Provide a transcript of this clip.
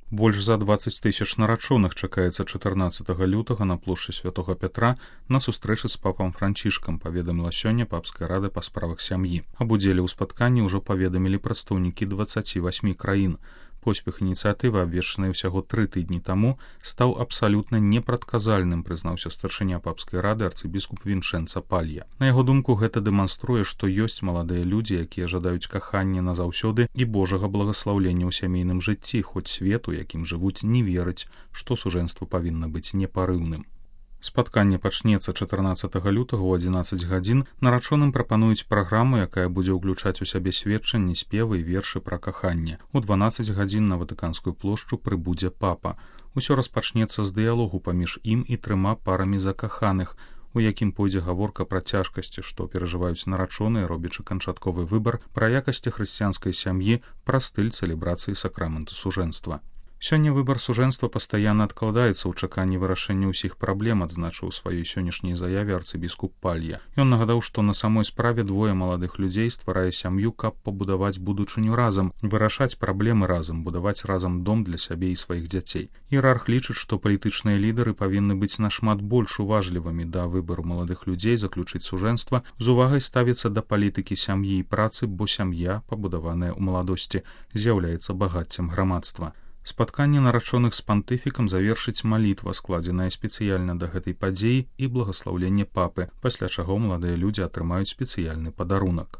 Больш за 20 тысяч нарачоных чакаецца 14 лютага на плошчы Святога Пятра на сустрэчы з папам Францішкам, паведаміла сёння папская рада па справах сям'і. Аб удзеле ў спатканні ўжо паведамілі прадстаўнікі 28 краін. Поспех ініцыятывы, абвешчанай усяго 3 тыдні таму, стаў абсалютна непрадказальным, прызнаўся старшыня папскай рады арцыбіскуп Вінчэнца Палья. На яго думку, гэта дэманструе, што ёсць маладыя людзі, якія жадаюць кахання назаўсёды і божага благаслаўлення ў сямейным жыцці, хоць свет, у якім жывуць, не верыць, што сужэнства павінна быць непарыўным. Спатканне пачнецца 14 лютага ў 11 гадзін. Нарачоным прапануюць праграму, якая будзе ўключаць у сябе сведчанні, спевы і вершы пра каханне. У 12 гадзін на Ватыканскую плошчу прыбудзе папа. Усё распачнецца з дыялогу паміж ім і 3 парамі закаханых, у якім пойдзе гаворка пра цяжкасці, што перажываюць нарачоныя, робячы канчатковы выбар, пра якасці хрысціянскай сям'і, пра стыль цэлебрацыі сакраменту сужэнства. Сёння выбар сужэнства пастаянна адкладаецца ў чаканні вырашэння ўсіх праблем, адзначыў у сваёй сённяшняй заяве арцыбіскуп Палья. Ён нагадаў, што на самой справе двое маладых людзей стварае сям'ю, каб пабудаваць будучыню разам, вырашаць праблемы разам, будаваць разам дом для сябе і сваіх дзяцей. Іерарх лічыць, што палітычныя лідары павінны быць нашмат больш уважлівымі да выбару маладых людзей заключыць сужэнства, з увагай ставіцца да палітыкі сям'і і працы, бо сям'я, пабудаваная ў маладосці, з'яўляецца багаццем грамадства. Спатканне нарачоных з пантыфікам завершыць малітва, складзеная спецыяльна да гэтай падзеі, і благаслаўленне папы, пасля чаго маладыя людзі атрымаюць спецыяльны падарунак.